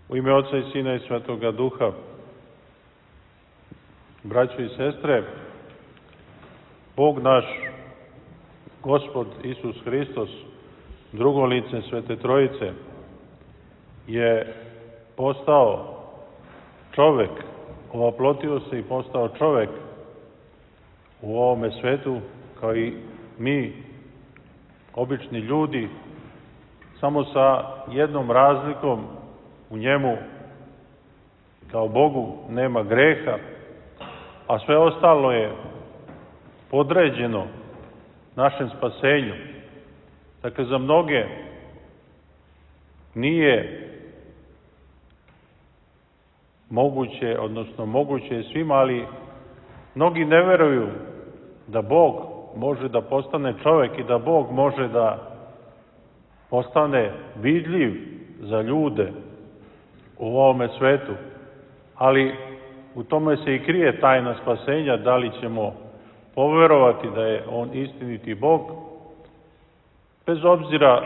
U ime Oca i Sina i Svetoga Duha, braćo i sestre, Bog naš, Gospod Isus Hristos, drugo lice Svete Trojice, je postao čovek, ovaplotio se i postao čovek u ovome svetu, kao i mi, obični ljudi, samo sa jednom razlikom: u njemu, kao Bogu, nema greha, a sve ostalo je podređeno našem spasenju. Dakle, za mnoge nije moguće, odnosno moguće je svima, ali mnogi ne veruju da Bog može da postane čovek i da Bog može da postane vidljiv za ljude u ovome svetu. Ali u tome se i krije tajna spasenja, da li ćemo poverovati da je On istiniti Bog, bez obzira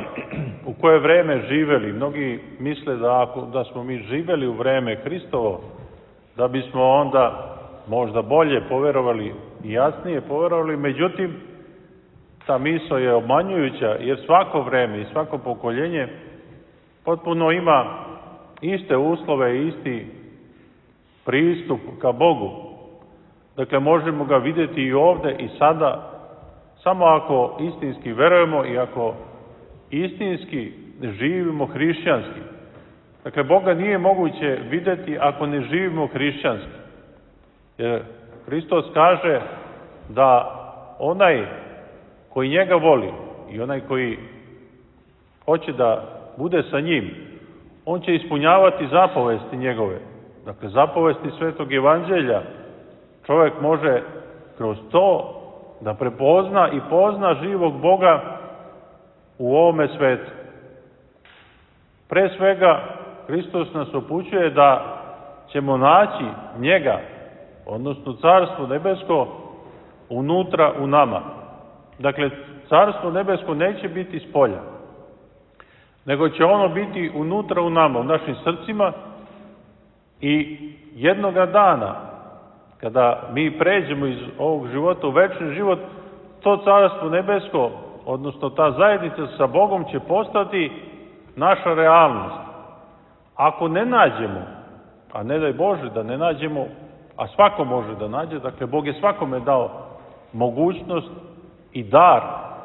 u koje vreme živeli. Mnogi misle da smo mi živeli u vreme Hristovo, da bismo onda možda bolje poverovali i jasnije poverovali, međutim, ta misao je obmanjujuća, jer svako vreme i svako pokoljenje potpuno ima iste uslove i isti pristup ka Bogu. Dakle, možemo ga vidjeti i ovde i sada, samo ako istinski verujemo i ako istinski živimo hrišćanski. Dakle, Boga nije moguće vidjeti ako ne živimo hrišćanski. Jer Hristos kaže da onaj koji njega voli i onaj koji hoće da bude sa njim, on će ispunjavati zapovesti njegove. Dakle, zapovesti Svetog Evanđelja. Čovjek može kroz to da prepozna i pozna živog Boga u ovome svetu. Pre svega, Hristos nas upućuje da ćemo naći njega, odnosno Carstvo nebesko, unutra u nama. Dakle, Carstvo nebesko neće biti spolja, nego će ono biti unutra u nama, u našim srcima, i jednoga dana, kada mi pređemo iz ovog života u večni život, to Carstvo nebesko, odnosno ta zajednica sa Bogom, će postati naša realnost. Ako ne nađemo, a ne daj Bože da ne nađemo, a svako može da nađe, dakle, Bog je svakome dao mogućnost i dar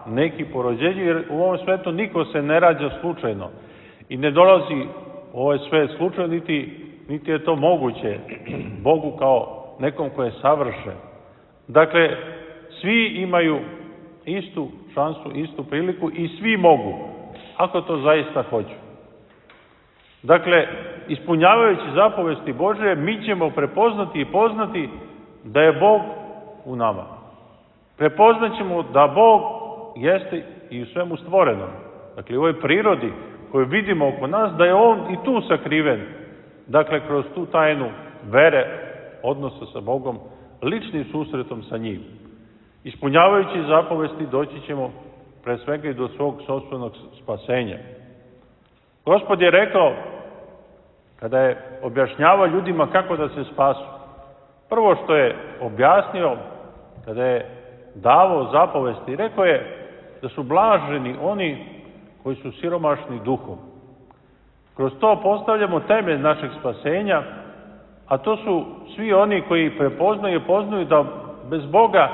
neki po rođenju, jer u ovom svetu niko se ne rađa slučajno i ne dolazi u ovaj svet slučajno, niti je to moguće Bogu kao nekom ko je savršen. Dakle, svi imaju istu šansu, istu priliku i svi mogu, ako to zaista hoću. Dakle, ispunjavajući zapovesti Božje, mi ćemo prepoznati i poznati da je Bog u nama. Prepoznaćemo da Bog jeste i u svemu stvorenom. Dakle, u ovoj prirodi koju vidimo oko nas, da je On i tu sakriven. Dakle, kroz tu tajnu vere, odnosa sa Bogom, ličnim susretom sa njim. Ispunjavajući zapovesti doći ćemo pre svega i do svog sopstvenog spasenja. Gospod je rekao, kada je objašnjavao ljudima kako da se spasu, prvo što je objasnio, kada je davao zapovesti, rekao je da su blaženi oni koji su siromašni duhom. Kroz to postavljamo temelj našeg spasenja, a to su svi oni koji prepoznaju i poznaju da bez Boga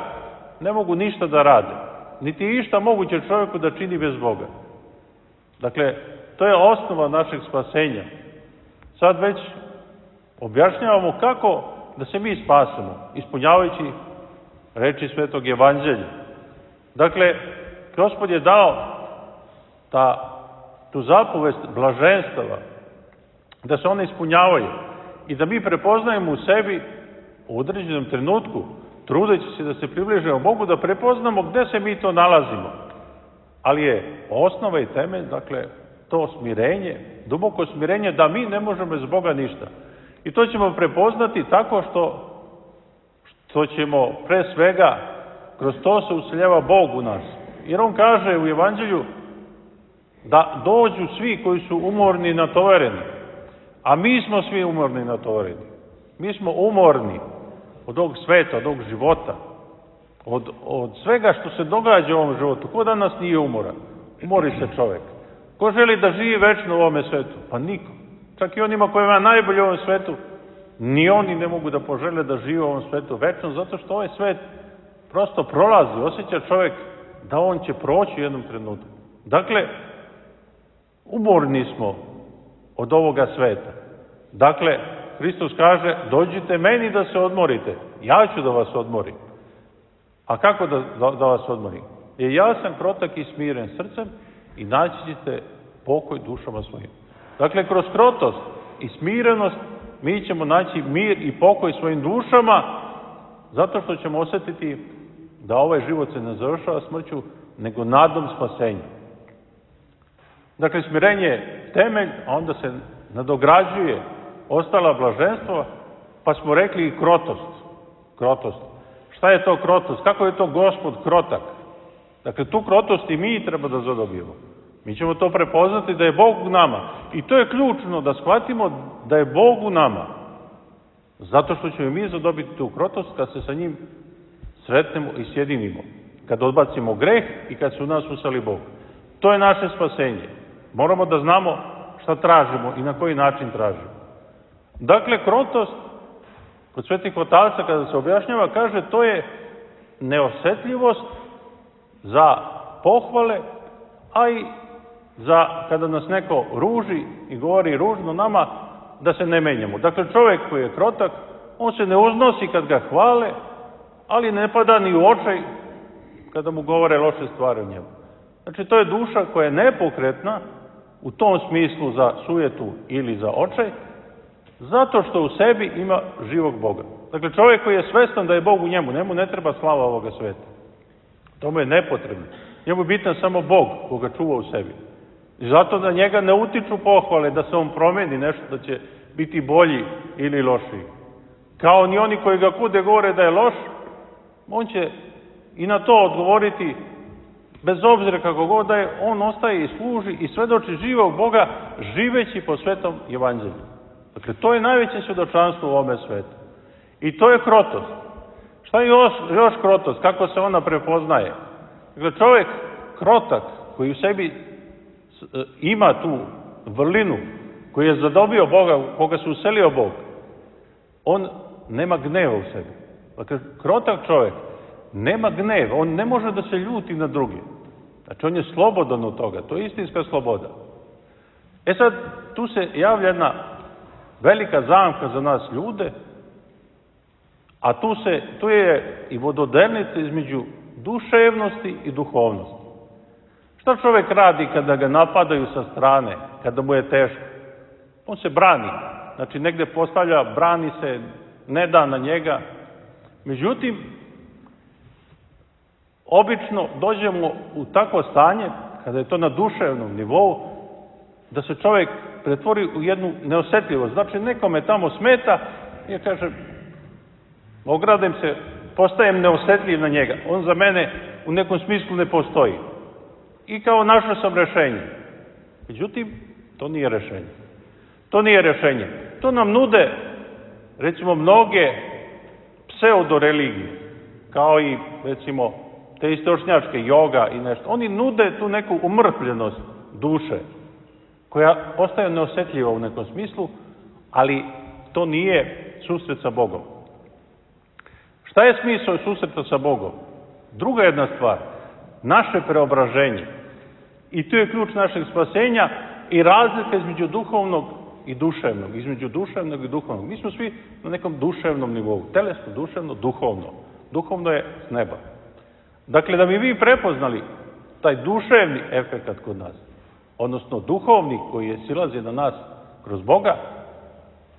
ne mogu ništa da rade. Niti je išta moguće čovjeku da čini bez Boga. Dakle, to je osnova našeg spasenja. Sad već objašnjavamo kako da se mi spasemo, ispunjavajući reči Svetog Evanđelja. Dakle, Gospod je dao tu zapovest blaženstava, da se one ispunjavaju i da mi prepoznajemo u sebi u određenom trenutku, trudeći se da se približimo Bogu, da prepoznamo gde se mi to nalazimo. Ali je osnova i temelj, dakle, to smirenje, duboko smirenje, da mi ne možemo bez Boga ništa. I to ćemo prepoznati tako što ćemo pre svega, kroz to se useljava Bog u nas. Jer On kaže u Evanđelju da dođu svi koji su umorni i natovareni, A mi smo svi umorni na tovareni. Mi smo umorni od ovog sveta, od ovog života, od svega što se događa u ovom životu. Ko danas nije umoran? Umori se čovek. Ko želi da živi večno u ovome svetu? Pa niko. Čak i onima kojima je najbolje u ovom svetu, ni oni ne mogu da požele da žive u ovom svetu večno, zato što ovaj svet prosto prolazi. Osjeća čovek da on će proći u jednom trenutku. Dakle, umorni smo od ovoga sveta. Dakle, Hristos kaže, dođite meni da se odmorite. Ja ću da vas odmorim. A kako da vas odmorim? Jer ja sam krotak i smiren srcem i naći ćete pokoj dušama svojim. Dakle, kroz krotost i smirenost mi ćemo naći mir i pokoj svojim dušama, zato što ćemo osjetiti da ovaj život se ne završava smrću, nego nadom spasenja. Dakle, smirenje je temelj, a onda se nadograđuje ostala blaženstva, pa smo rekli i krotost. Krotost. Šta je to krotost? Kako je to Gospod krotak? Dakle, tu krotost i mi treba da zadobijemo. Mi ćemo to prepoznati da je Bog u nama. I to je ključno, da shvatimo da je Bog u nama. Zato što ćemo mi zadobiti tu krotost kad se sa njim sretnemo i sjedinimo. Kad odbacimo greh i kad se u nas usali Bog. To je naše spasenje. Moramo da znamo šta tražimo i na koji način tražimo. Dakle, krotost, kod svetih otaca kada se objašnjava, kaže to je neosetljivost za pohvale, a i za kada nas neko ruži i govori ružno nama, da se ne menjamo. Dakle, čovjek koji je krotak, on se ne uznosi kad ga hvale, ali ne pada ni u očaj kada mu govore loše stvari o njemu. Znači, to je duša koja je nepokretna u tom smislu za sujetu ili za očaj, zato što u sebi ima živog Boga. Dakle, čovjek koji je svestan da je Bog u njemu, njemu ne treba slava ovoga sveta. To mu je nepotrebno. Njemu je bitan samo Bog koga čuva u sebi. I zato da njega ne utiču pohvale da se on promeni nešto, da će biti bolji ili lošiji. Kao ni oni koji ga kude govore da je loš, on će i na to odgovoriti, bez obzira kako god da je, on ostaje i služi i svedoči živog Boga živeći po svetom evanđelju. Dakle, to je najveće svjedočanstvo u ovome svetu. I to je krotost. Šta je još krotost? Kako se ona prepoznaje? Dakle, čovjek krotak koji u sebi ima tu vrlinu, koji je zadobio Boga, koga se uselio Bog, on nema gneva u sebi. Dakle, krotak čovjek nema gnev, on ne može da se ljuti na druge. Znači, on je slobodan od toga, to je istinska sloboda. E sad, tu se javlja jedna velika zamka za nas ljude, a tu je i vododelnica između duševnosti i duhovnosti. Šta čovjek radi kada ga napadaju sa strane, kada mu je teško? On se brani. Znači, negde postavlja, brani se, ne da na njega. Međutim, obično dođemo u takvo stanje, kada je to na duševnom nivou, da se čovjek pretvori u jednu neosetljivost. Znači, nekome tamo smeta, ja kažem, ogradem se, postajem neosetljiv na njega. On za mene u nekom smislu ne postoji. I kao našao sam rešenje. Međutim, to nije rešenje. To nije rešenje. To nam nude, recimo, mnoge pseudo-religije, kao i, recimo, te istočnjačke, joga i nešto. Oni nude tu neku umrtvljenost duše, koja postaje neosetljiva u nekom smislu, ali to nije susret sa Bogom. Šta je smisao susreta sa Bogom? Druga jedna stvar, naše preobraženje. I tu je ključ našeg spasenja i razlika između duhovnog i duševnog. Između duševnog i duhovnog. Mi smo svi na nekom duševnom nivou. Telesno, duševno, duhovno. Duhovno je s neba. Dakle, da bi vi prepoznali taj duševni efekat kod nas, odnosno duhovni koji je silazi na nas kroz Boga,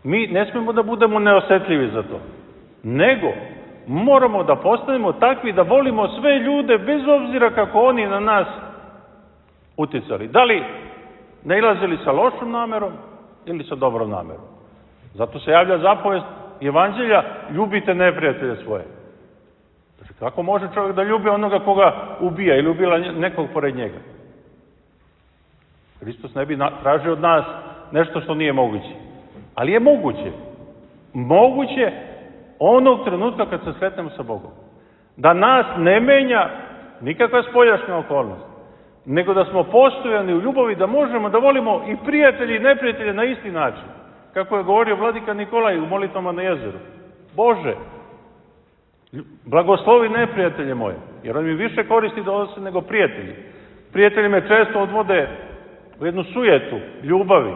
mi ne smemo da budemo neosetljivi za to. Nego, moramo da postanemo takvi da volimo sve ljude bez obzira kako oni na nas uticali. Da li nailazili sa lošom namerom ili sa dobrom namerom. Zato se javlja zapovest evanđelja, ljubite neprijatelje svoje. Znači, kako može čovjek da ljubi onoga koga ubija ili ubila nekog pored njega? Hristos ne bi tražio od nas nešto što nije moguće. Ali je moguće. Moguće onog trenutka kad se sretnemo sa Bogom. Da nas ne menja nikakva spoljašnja okolnost, nego da smo postojani u ljubavi, da možemo da volimo i prijatelji i neprijatelje na isti način. Kako je govorio vladika Nikolaj u molitvama na jezeru. Bože, blagoslovi neprijatelje moje, jer on mi više koristi da odnose nego prijatelji. Prijatelji me često odvode u jednu sujetu ljubavi,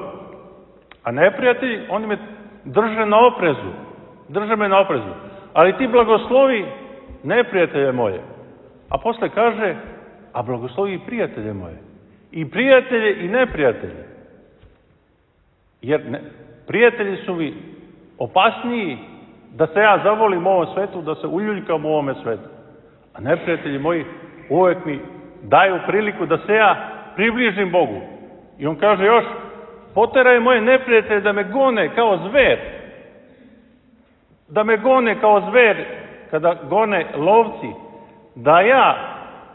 a neprijatelji, oni me drže na oprezu. Drže me na oprezu. Ali ti blagoslovi neprijatelje moje. A posle kaže, a blagoslovi i prijatelje moje. I prijatelje i neprijatelje. Jer prijatelji su mi opasniji da se ja zavolim u ovom svetu, da se uljuljkam u ovome svetu. A neprijatelji moji uvek mi daju priliku da se ja približim Bogu. I on kaže još, poteraj moje neprijatelje da me gone kao zver. Da me gone kao zver kada gone lovci. Da ja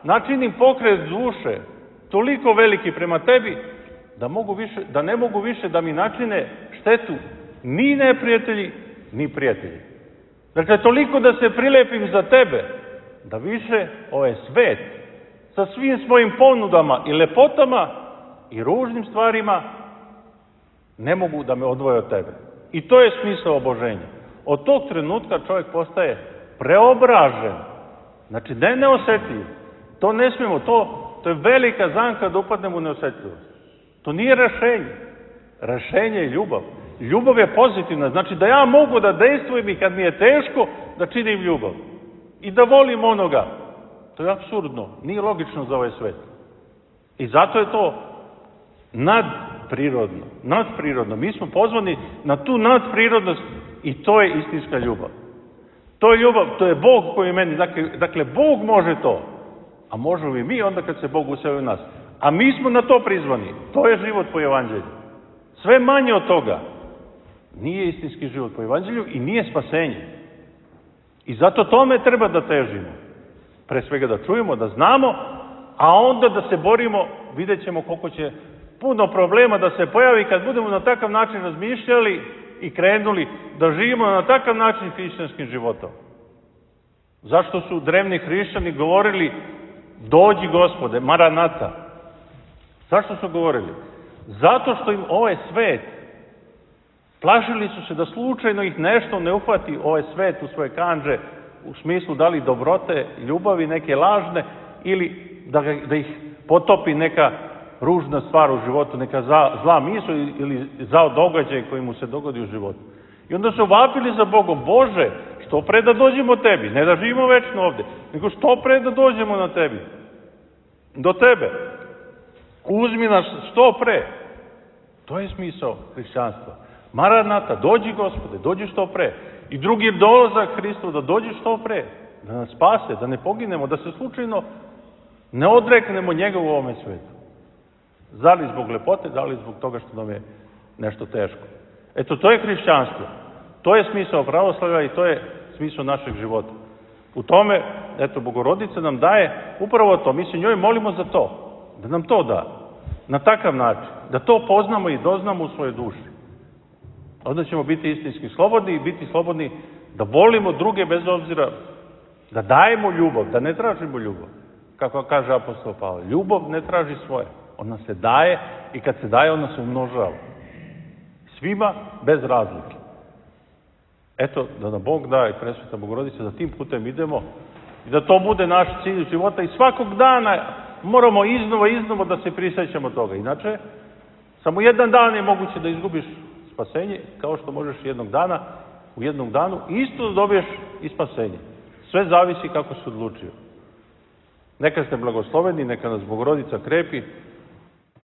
načinim pokret duše toliko veliki prema tebi da ne mogu više da mi načine štetu ni neprijatelji, ni prijatelji. Dakle, toliko da se prilepim za tebe, da više ovaj svet sa svim svojim ponudama i lepotama i ružnim stvarima ne mogu da me odvoje od tebe. I to je smisao oboženja. Od tog trenutka čovjek postaje preobražen. Znači, ne neosetljiv. To ne smijemo, to je velika zamka da upadnemo u neosetljivost. To nije rešenje. Rešenje je ljubav. Ljubav je pozitivna. Znači da ja mogu da dejstvujem i kad mi je teško da činim ljubav. I da volim onoga. To je apsurdno. Nije logično za ovaj svet. I zato je to nadprirodno. Nadprirodno. Mi smo pozvani na tu nadprirodnost i to je istinska ljubav. To je ljubav, to je Bog koji je meni. Dakle, Bog može to. A možemo i mi onda kad se Bog useli u nas. A mi smo na to prizvani. To je život po evanđelju. Sve manje od toga nije istinski život po evanđelju i nije spasenje. I zato tome treba da težimo. Pre svega da čujemo, da znamo, a onda da se borimo, vidjet ćemo koliko će puno problema da se pojavi kad budemo na takav način razmišljali i krenuli da živimo na takav način hrišćanskim životom. Zašto su drevni hrišćani govorili dođi Gospode, Maranata? Zašto su govorili? Zato što im ovaj svet, plašili su se da slučajno ih nešto ne uhvati ovaj svet u svoje kandže, u smislu da li dobrote, ljubavi neke lažne ili da ih potopi neka ružna stvar u životu, neka zla misao ili zao događaj koji mu se dogodi u životu. I onda su vapili za Bogom, Bože, što pre da dođemo tebi, ne da živimo večno ovde, nego što pre da dođemo na tebi, do tebe. Uzmi nas što pre. To je smisao hrišćanstva. Maranata, dođi Gospode, dođi što pre. I drugi dolazak Hristu, da dođi što pre. Da nas spase, da ne poginemo, da se slučajno ne odreknemo njega u ovome svetu. Da li zbog lepote, da li zbog toga što nam je nešto teško. Eto, to je hrišćanstvo. To je smisao pravoslavlja i to je smisao našeg života. U tome, eto, Bogorodica nam daje upravo to. Mi se njoj molimo za to. Da nam to da. Na takav način. Da to poznamo i doznamo u svojoj duši. Onda ćemo biti istinski slobodni i biti slobodni da volimo druge bez obzira, da dajemo ljubav, da ne tražimo ljubav. Kako kaže apostol Pavle, ljubav ne traži svoje. Ona se daje i kad se daje, ona se umnožava. Svima bez razlike. Eto, da nam Bog da i Presveta Bogorodica, da tim putem idemo i da to bude naš cilj života i svakog dana moramo iznova da se prisjećamo toga. Inače, samo jedan dan je moguće da izgubiš spasenje, kao što možeš u jednom danu isto da dobiješ i spasenje. Sve zavisi kako se odlučio. Neka ste blagosloveni, neka nas Bogorodica krepi,